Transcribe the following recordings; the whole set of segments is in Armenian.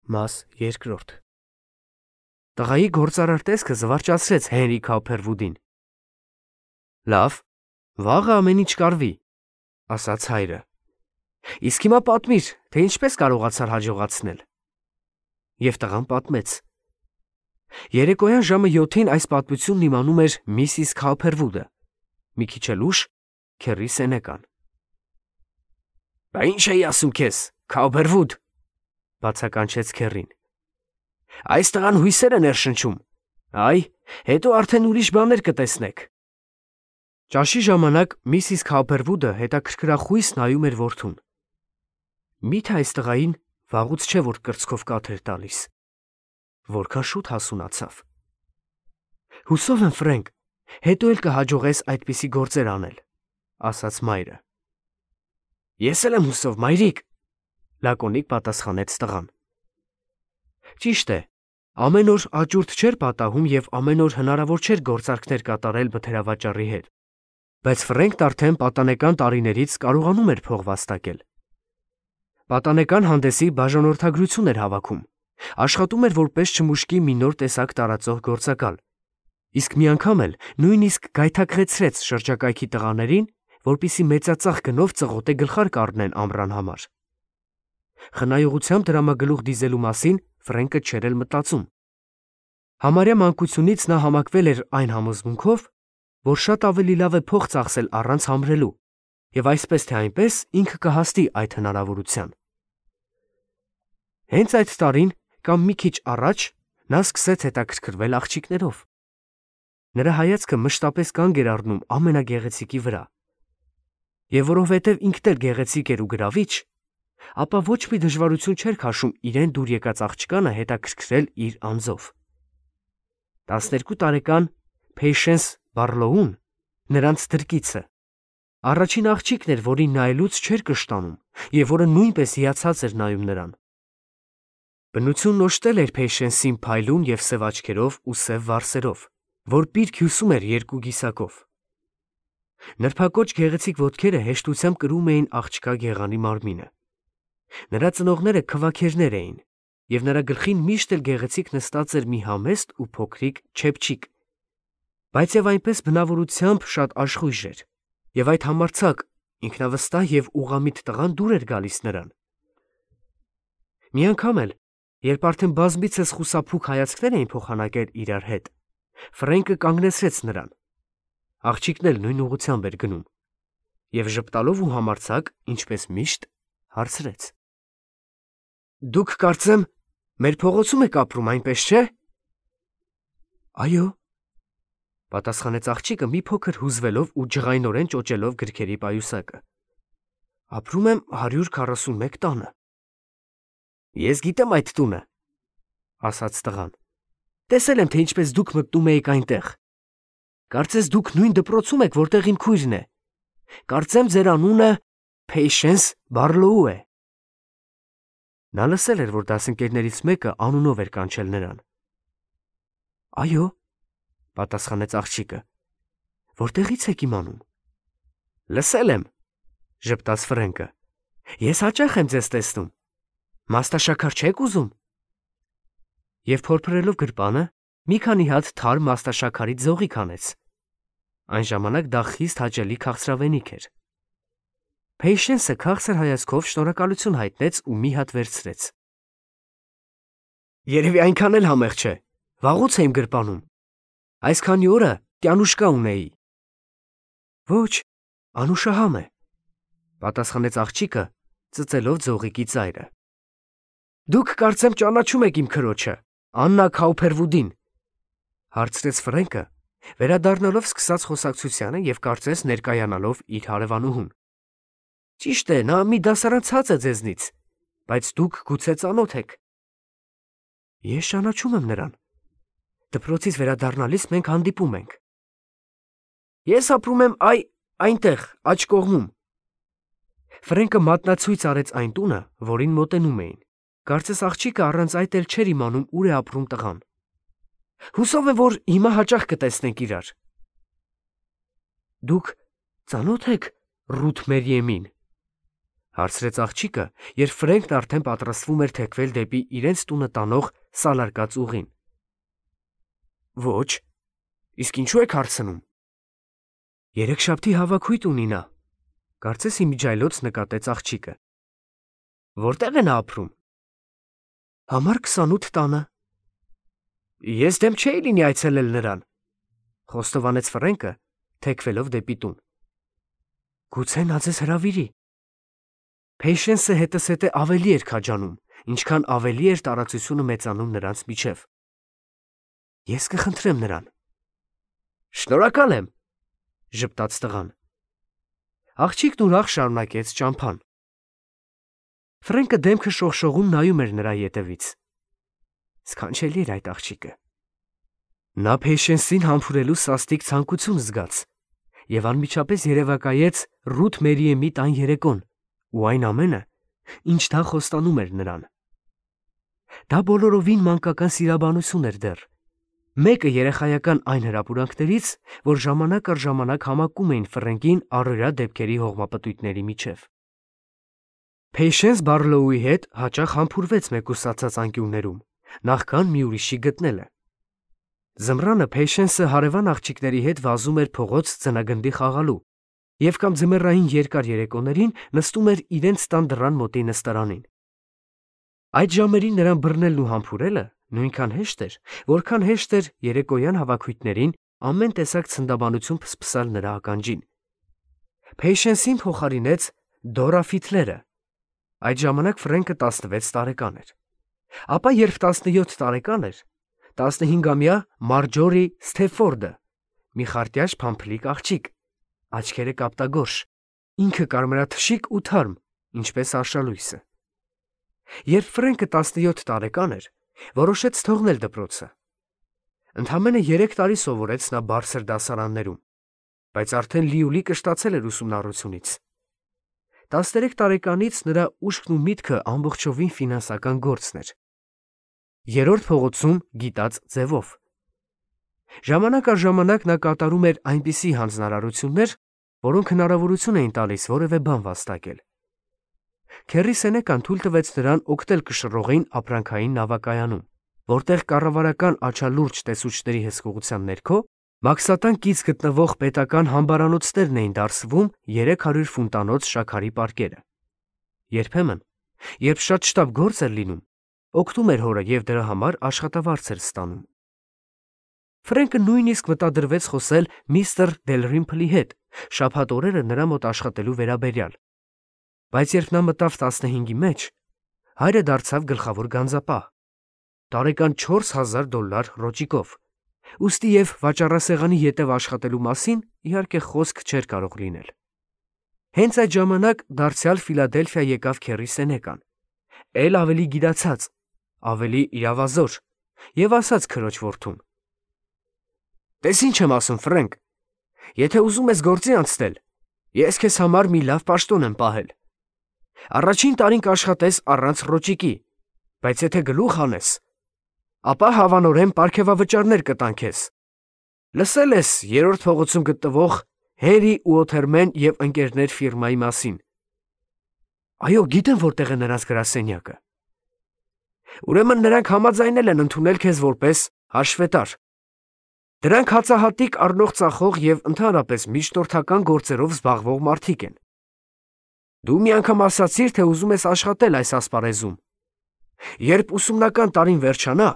Մաս երկրորդ Տղայի գործարար տեսքը զվարճացրեց Հենրի Քոփերվուդին։ Լավ, վաղը ամեն ինչ կարվի, ասաց հայրը։ Իսկ հիմա պատմիր, թե ինչպես կարողացար հաջողացնել։ Եվ տղան պատմեց։ Երեկոյան ժամը 7-ին այս պատմությունն իմանում էր Միսիս Քոփերվուդը, մի քիչ էլ ուշ քեռի Սենեկան։ Բա ինչ էի ասում քեզ, Քոփերվուդ, բացականչեց քեռին։ Այս տղան հույսեր է ներշնչում, այ, հետո արդեն ուրիշ բաներ կտեսնեք։ Ճաշի ժամանակ Միսիս Քոփերվուդը հետաքրքրախույս նայում էր որդուն։ Միթե այս տղային վաղուց չէ որ կրծքով կաթ էր տալիս։ Որքան շուտ հասունացավ։ Հուսով եմ, Ֆրենկ, հետո էլ կհաջողես այդպիսի գործեր անել, ասաց մայրը։ Ես էլ եմ հուսով, մայրիկ, լակոնիկ պատասխանեց տղան։ Ճիշտ է, ամեն օր աճուրդ չէր պատահում և ամեն օր հնարավոր չէր գործարքներ կատարել բթերավաճառի հետ, բայց Ֆրենկն արդեն պատանեկան տարիներից կարողանում էր փող վաստակել։ Պատանեկան հանդեսի բաժանորդագրություն էր հավաքում, աշխատում էր որպես չմուշկի մի նոր տեսակ տարածող գործակալ, իսկ մի անգամ էլ նույնիսկ գայթակղեցրեց շրջակայքի տղաներին, որպիսի մեծածախ գնով ծղոտե գլխարկ առնեն ամռան համար։ Խնայողությամբ դրամագլուխ դիզելու մասին Ֆրենկը չէր էլ մտածում։ Համարյա մանկությունից նա համակվել էր այն համոզմունքով, որ շատ ավելի լավ է փող ծախսել առանց համրելու, և այսպես թե այնպես ինքը կհասնի այդ հնարավորության։ Հենց այդ տարին կամ մի քիչ առաջ նա սկսեց հետաքրքրվել աղջիկներով։ Նրա հայացքը մշտապես կանգ էր առնում ամենագեղեցիկի վրա։ Եվ որովհետև ինքն էլ գեղեցիկ էր ու գրավիչ, ապա ոչ մի դժվարություն չէր քաշում իրեն դուր եկած աղջկանը հետաքրքրել իր անձով։ 12 տարեկան Փեյշենս Բարլոուն, նրանց դրկիցը, առաջին աղջիկն էր, որին նայելուց չէր կշտանում և որը նույնպես հիացած էր նայում նրան։ Բնությունն օժտել էր Փեյշենսին փայլուն և սև աչքերով ու սև վարսերով, որ պիրք հյուսում էր երկու գիսակով։ Նրբակոչ գեղեցիկ ոտքերը հեշտությամբ կրում էին աղջկա գեղանի մարմինը։ Նրա ծնողները քվաքերներ էին, և նրա գլխին միշտ էլ գեղեցիկ նստած էր մի համեստ ու փոքրիկ չեփչիկ, բայց և այնպես բնավորությամբ շատ աշխույժ էր, և այդ համարձակ, ինքնավստահ և ուղղամիտ տղան դուր էր գալիս նրան։ Մի անգամ էլ, երբ արդեն բազմիցս խուսափուկ հայացքներ էին փոխանակել իրար հետ, Ֆրենկը կանգնեցրեց նրան։ Աղջիկն էլ նույն ուղղությամբ էր գնում, և ժպտալով ու համարձակ, ինչպես միշտ, հարցրեց. Դուք կարծեմ, մեր փողոցում եք ապրում, այնպես չէ։ Այո, պատասխանեց աղջիկը մի փոքր հուզվելով ու ջղայնորեն ճոճելով գրքերի պայուսակը։ Ապրում եմ 141 տանը։ Ես գիտեմ այդ տունը, ասաց տղան։ Տեսել եմ, թե ինչպես դուք մտնում էիք այնտեղ։ Կարծես դուք նույն դպրոցում եք, որտեղ իմ քույրն է։ Կարծեմ ձեր անունը Փեյշենս Բարլոու է։ Նա լսել էր, որ դասընկերներից մեկը անունով էր կանչել նրան։ Այո, պատասխանեց աղջիկը։ Որտեղից եք իմանում։ Լսել եմ, ժպտաց Ֆրենկը։ Ես հաճախ եմ ձեզ տեսնում։ Մաստաշաքար չեք ուզում։ Եվ փորփրելով գրպանը, մի քանի հատ թարմ մաստաշաքարից զողիկ հանեց։ Այն ժամանակ դա խիստ հաճելի քաղցրավենիք էր։ Փեյշենսը քաղցր հայացքով շնորհակալություն հայտնեց ու մի հատ վերցրեց։ Երևի այնքան էլ համեղ չէ, վաղուց եմ գրպանում։ Այսքանի օրը տյանուշկա ունեի։ Ոչ, անուշահամ է, պատասխանեց աղջիկը, ծծելով ձողիկի ծայրը։ Դուք կարծեմ ճանաչում եք իմ քրոջը, Աննա Քոփերվուդին, հարցրեց Ֆրենկը, վերադառնալով սկսած խոսակցությանը և կարծես ներկայանալով իր հարևանուհուն։ Ճիշտ է, նա մի դասարան ցած է ձեզնից, բայց դուք գուցե ծանոթ եք։ Ես ճանաչում եմ նրան։ Դպրոցից վերադառնալիս մենք հանդիպում ենք։ Ես ապրում եմ այնտեղ, աջ կողմում։ Ֆրենկը մատնացույց արեց այն տունը, որին մոտենում էին։ Կարծես աղջիկը առանց այդ էլ չէր իմանում ուր է ապրում տղան։ Հուսով եմ, որ հիմա հաճախ կտեսնենք իրար։ Դուք ծանոթ եք Ռութ Մերիեմին, Հարցրեց աղջիկը, երբ Ֆրենկն արդեն պատրաստվում էր թեքվել դեպի իրենց տունը տանող սալարկած ուղին։ Ոչ, իսկ ինչու եք հարցնում։ Երեքշաբթի հավաքույթ ունի նա, կարծես իմիջայլոց նկատեց աղջիկը։ Որտեղ է նա ապրում։ Համար 28 տանը։ Ես դեմ չէի լինի այցելել նրան, խոստովանեց Ֆրենկը, թեքվելով դեպի տուն։ Գուցե նա ձեզ հրավիրի։ Փեյշենսը հետզհետե ավելի էր քաջանում, ինչքան ավելի էր տարածությունը մեծանում նրանց միջև։ Ես կխնդրեմ նրան։ Շնորհակալ եմ, ժպտաց տղան։ Աղջիկն ուրախ շարունակեց ճամփան։ Ֆրենկը դեմքը շողշողում նայում էր նրա ետևից։ Սքանչելի էր այդ աղջիկը։ Նա Փեյշենսին համբուրելու սաստիկ ցանկություն զգաց եւ անմիջապես երևակայեց Ռութ Մերիեմի տան երեկոն ու այն ամենը, ինչ դա խոստանում էր նրան։ Դա բոլորովին մանկական սիրաբանություն էր դեռ։ Մեկը երեխայական այն հրապուրանքներից, որ ժամանակ առ ժամանակ համակում էին Ֆրենկին առօրյա դեպքերի հողմապտույտների միջև։ Փեյշենս Բարլոուի հետ հաճախ համբուրվեց մեկուսացած անկյուններում, նախքան մի ուրիշի գտնելը։ Ձմռանը Փեյշենսը հարևան աղջիկների հետ վազում էր փողոց ձնագնդի խաղալու և կամ ձմեռային երկար երեկոներին նստում էր իրենց տան դռան մոտի նստարանին։ Այդ ժամերին նրան բռնելն ու համբուրելը նույնքան հեշտ էր, որքան հեշտ էր երեկոյան հավաքույթներին ամեն տեսակ ցնդաբանություն փսփսալ նրա ականջին։ Փեյշենսին փոխարինեց Դորա Ֆիթլերը։ Այդ ժամանակ Ֆրենկը 16 տարեկան էր։ Ապա երբ 17 տարեկան էր, 15-ամյա Մարջորի Սթեֆորդը, մի խարտյաշ փամփլիկ աղջիկ, աչքերը կապտագորշ, ինքը կարմրաթշիկ ու թարմ, ինչպես արշալույսը։ Երբ Ֆրենկը 17 տարեկան էր, որոշեց թողնել դպրոցը։ Ընդամենը 3 տարի սովորեց նա բարձր դասարաններում, բայց արդեն լիուլի կշտացել էր ուսումնառությունից։ 13 տարեկանից նրա ուշքն ու միտքը ամբողջովին ֆինանսական գործն էր։ Երրորդ փողոցում գիտած ձևով։ Ժամանակ առ ժամանակ նա կատարում էր այնպիսի հանձնարարություններ, որոնք հնարավորություն էին տալիս որևէ բան վաստակել։ Քերի Սենեկան թույլ տվեց նրան օգտել կշռողին ապրանքային նավակայանում, որտեղ կառավարական աչալուրջ տեսուչների հսկողության ներքո մաքսատան կից գտնվող պետական համբարանոցներն էին դարսվում 300 ֆունտանոց շաքարի պարկերը։ Երբեմն, երբ շատ շտապ գործ էր լինում, օգնում էր հորը և դրա համար աշխատավարձ էր ստանում։ Ֆրենկը նույնիսկ մտադրվեց խոսել միստր Դելրիմփլի հետ շաբաթ օրերը նրա մոտ աշխատելու վերաբերյալ, բայց երբ նա մտավ 15-ի մեջ, հայրը դարձավ գլխավոր գանձապահ, տարեկան $4000 ռոճիկով, ուստի և վաճառասեղանի ետև աշխատելու մասին իհարկե խոսք չէր կարող լինել։ Հենց այդ ժամանակ դարձյալ Ֆիլադելֆիա եկավ Քերի Սենեկան, էլ ավելի գիտացած, ավելի իրավազոր, և ասաց քրոջ որդուն. Տես ինչ եմ ասում, Ֆրենկ, եթե ուզում ես գործի անցնել, ես քեզ համար մի լավ պաշտոն եմ պահել։ Առաջին տարին կաշխատես առանց ռոճիկի, բայց եթե գլուխ անես, ապա հավանորեն պարգևավճարներ կտան քեզ։ Լսել ես երրորդ փողոցում գտնվող Հերի Ուոթերմեն և ընկերներ ֆիրմայի մասին։ Այո, գիտեմ որտեղ է նրանց գրասենյակը։ Ուրեմն նրանք համաձայնել են ընդունել քեզ որպես հաշվետար։ Դրանք հացահատիկ առնող ծախող և ընդհանրապես միջնորդական գործերով զբաղվող մարդիկ են։ Դու մի անգամ ասացիր, թե ուզում ես աշխատել այս ասպարեզում։ Երբ ուսումնական տարին վերջանա,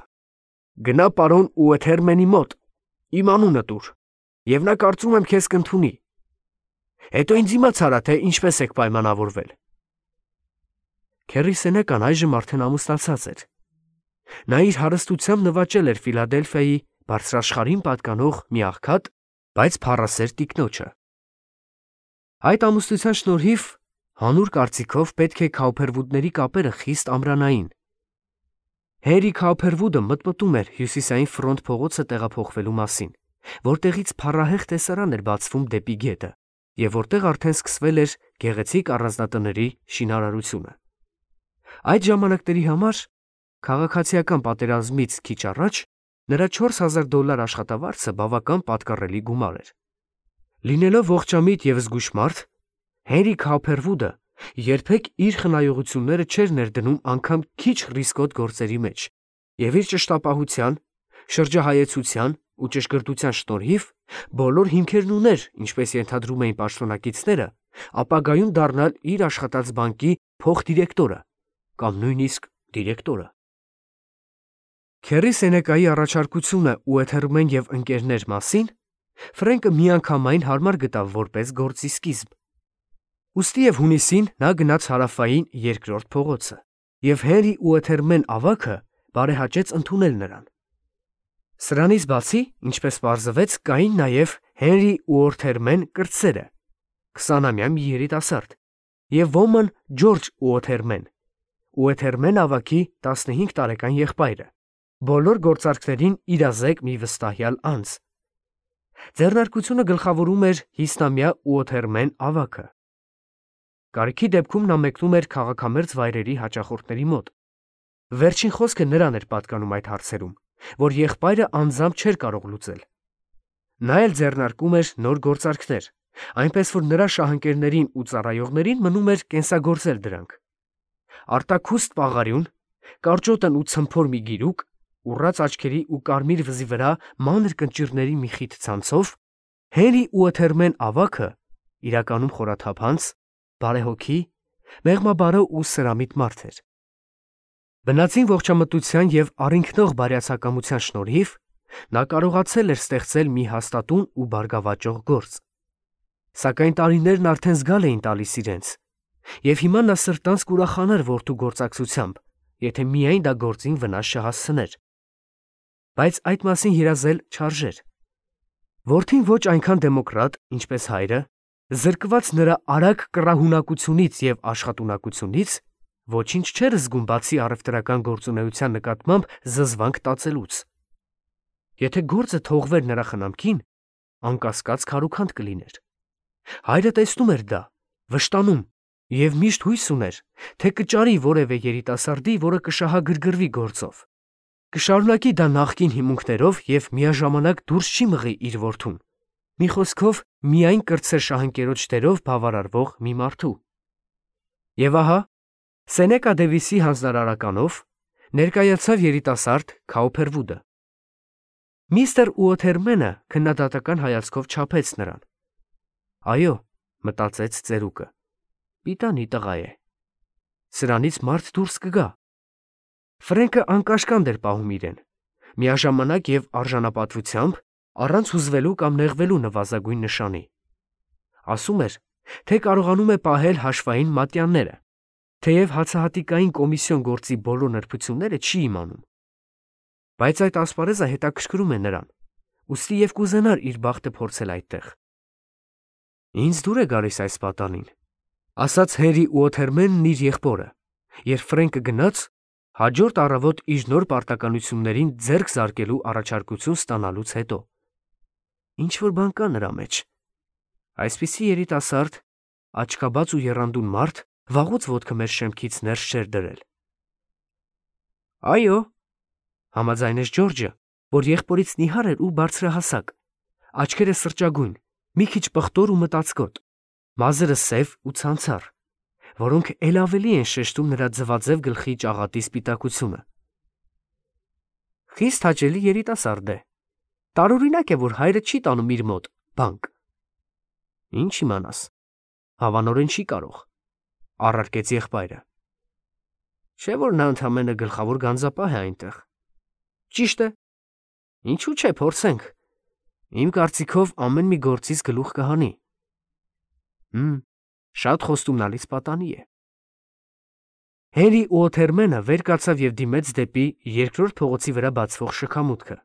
գնա պարոն Ուոթերմենի մոտ, իմ անունը տուր, և նա կարծում եմ քեզ կընդունի։ Հետո ինձ իմաց արա, թե ինչպես եք պայմանավորվել։ Քերի Սենեկան այժմ արդեն ամուսնացած էր։ Նա իր հարստությամբ նվաճել էր Ֆիլադելֆիայի բարձրաշխարհին պատկանող մի աղքատ, բայց փառասեր տիկնոջը։ Այդ ամուսնության շնորհիվ հանուր կարծիքով պետք է Քաուփերվուդների կապերը խիստ ամրանային։ Հերի Քաուփերվուդը մտմտում էր հյուսիսային ֆրոնտ փողոցը տեղափոխվելու մասին, որտեղից փառահեղ տեսարան էր բացվում դեպի գետը, և որտեղ արդեն սկսվել էր գեղեցիկ առանձնատների շինարարությունը։ Այդ ժամանակների համար, քաղաքացիական պատերազմից քիչ առաջ, նրա $4000 աշխատավարձը բավական պատկառելի գումար էր։ Լինելով ողջամիտ և զգույշ մարդ, Հենրի Քաուփերվուդը երբեք իր խնայողությունները չէր ներդնում անգամ քիչ ռիսկոտ գործերի մեջ, եւ իր ճշտապահության, շրջահայեցության ու ճշգրտության շնորհիվ բոլոր հիմքերն ուներ, ինչպես ենթադրում էին պաշտոնակիցները, ապագայում դառնալ իր աշխատած բանկի փոխդիրեկտորը կամ նույնիսկ դիրեկտորը։ Քերի Սենեկայի առաջարկությունը Ուեթերմեն եւ ընկերներ մասին Ֆրենկը միանգամայն հարմար գտավ որպես գործի սկիզբ։ Ուստի եւ հունիսին նա գնաց հարավային երկրորդ փողոցը, եւ Հենրի Ուեթերմեն ավագը բարեհաճեց ընդունել նրան։ Սրանից բացի, ինչպես պարզվեց, կային նաեւ Հենրի Ուորթերմեն կրտսերը, 20-ամյա մի երիտասարդ, եւ ոմն Ջորջ Ուոթերմեն, Ուեթերմեն ավագի 15 տարեկան եղբայրը, բոլոր գործարքներին իրազեկ մի վստահյալ անձ։ Ձեռնարկությունը գլխավորում էր 50-ամյա Ուոթերմեն ավագը։ Կարիքի դեպքում նա մեկնում էր քաղաքամերձ վայրերի հաճախորդների մոտ։ Վերջին խոսքը նրան էր պատկանում այդ հարցերում, որ եղբայրը անձամբ չէր կարող լուծել։ Նա էլ ձեռնարկում էր նոր գործարքներ, այնպես որ նրա շահընկերներին ու ծառայողներին մնում էր կենսագործել դրանք։ Արտաքուստ պաղարյուն, կարճոտն ու ցմփոր մի գիրուկ, ուռած աչքերի ու կարմիր վզի վրա մանր կնճիռների մի խիտ ցանցով, Հենրի Ուեթերմեն ավագը իրականում խորաթափանց, բարեհոգի, մեղմաբարո ու սրամիտ մարդ էր։ Բնածին ողջամտության եւ առինքնող բարյացակամության շնորհիվ նա կարողացել էր ստեղծել մի հաստատուն ու բարգավաճող գործ։ Սակայն տարիներն արդեն զգալ էին տալիս իրենց, եւ հիմա նա սրտանց կուրախանար որդու գործակցությամբ, եթե միայն դա գործին վնաս չհասցներ։ Բայց այդ մասին երազել չարժեր։ Որդին ոչ այնքան դեմոկրատ, ինչպես հայրը, զրկված նրա արագ կռահունակությունից եւ աշխատունակությունից, ոչինչ չէր զգում բացի առևտրական գործունեության նկատմամբ զզվանք տածելուց։ Եթե գործը թողվեր նրա խնամքին, անկասկած քարուքանդ կլիներ։ Հայրը տեսնում էր դա, վշտանում եւ միշտ հույս ուներ, թե կճարի որևէ երիտասարդի, որը կշահագրգռվի գործով։ Կշարունակի դա նախկին հիմունքներով եւ միաժամանակ դուրս չի մղի իր որդուն։ Մի խոսքով, միայն կրտսեր շահընկերոջ դերով բավարարվող մի մարդու։ Եվ ահա, Սենեկա Դեվիսի հանձնարարականով ներկայացավ երիտասարդ Քաուփերվուդը։ Միստր Ուոթերմենը քննադատական հայացքով չափեց նրան։ Այո, մտածեց ծերուկը, պիտանի տղա է։ Սրանից մարդ դուրս կգա։ Ֆրենկը անկաշկանդ էր պահում իրեն, միաժամանակ եւ արժանապատվությամբ, առանց հուզվելու կամ նեղվելու նվազագույն նշանի։ Ասում էր, թե կարողանում է պահել հաշվային մատյանները, թեև հացահատիկային կոմիսիոն գործի բոլոր նրբությունները չի իմանում։ Բայց այդ ասպարեզը հետաքրքրում է նրան, ուստի եւ կուզենար իր բախտը փորձել այդտեղ։ Ինձ դուր է գալիս այս պատանին, ասաց Հենրի Ուոթերմենն իր եղբորը, երբ Ֆրենկը գնաց, հաջորդ առավոտ իր նոր պարտականություններին ձեռք զարկելու առաջարկություն ստանալուց հետո։ Ինչ որ բան կա նրա մեջ։ Այսպիսի երիտասարդ, աչքաբաց ու եռանդուն մարդ վաղուց ոտքը մեր շեմքից ներս չէր դրել։ Այո, համաձայնեց Ջորջը, որ եղբորից նիհար էր ու բարձրահասակ, աչքերը սրճագույն, մի քիչ պղտոր ու մտածկոտ, մազերը սև ու ցանցառ, որոնք ել ավելի են շեշտում նրա ձվաձև գլխի ճաղատի սպիտակությունը։ Խիստ հաճելի երիտասարդ է։ Տարօրինակ է, որ հայրը չի տանում իր մոտ բանկ։ Ինչ իմանաս, հավանորեն չի կարող, առարկեց եղբայրը։ Չէ՞ որ նա ընդամենը գլխավոր գանձապահ է այնտեղ։ Ճիշտ է։ Ինչու՞ չէ, փորձենք։ Իմ կարծիքով ամեն մի գործից գլուխ կհանի։ Շատ խոստումնալից պատանի է։ Հենրի Ուոթերմենը վեր կացավ եւ դիմեց դեպի երկրորդ փողոցի վրա բացվող շքամուտքը։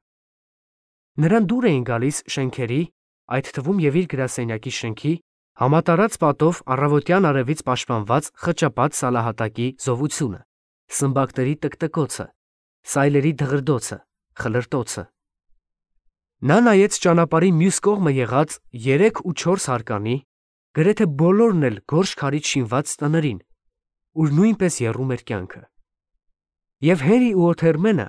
Նրան դուր էին գալիս շենքերի, այդ թվում եւ իր գրասենյակի շենքի, համատարած պատով առավոտյան արևից պաշտպանված խճապած սալահատակի զովությունը, սմբակների տկտկոցը, սայլերի դղրդոցը, խլրտոցը։ Նա նայեց ճանապարհի մյուս կողմը եղած 3 ու 4 հարկանի, գրեթե բոլորն էլ գորշ քարից շինված տներին, ուր նույնպես եռում էր կյանքը։ Եվ Հենրի Ուոթերմենը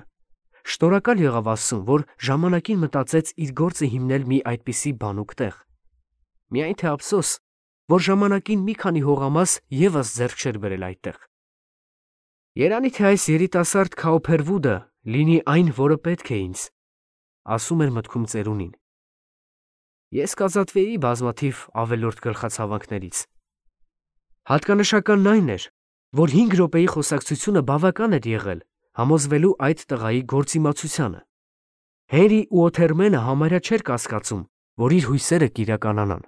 շնորհակալ եղավ Աստծուն, որ ժամանակին մտածեց իր գործը հիմնել մի այդպիսի բանուկ տեղ։ Միայն թե ափսոս, որ ժամանակին մի քանի հողամաս ևս ձեռք չէր բերել այդտեղ։ Երանի թե այս երիտասարդ Քաոփերվուդը լինի այն, որը պետք է ինձ, ասում էր մտքում ծերունին։ Ես կազատվեի բազմաթիվ ավելորդ գլխացավանքներից։ Հատկանշականն այն էր, որ 5 րոպեի խոսակցությունը բավական էր եղել համոզվելու այդ տղայի գործիմացությանը։ Հենրի ու Օթերմենը համարյա չէր կասկածում, որ իր հույսերը կիրականանան։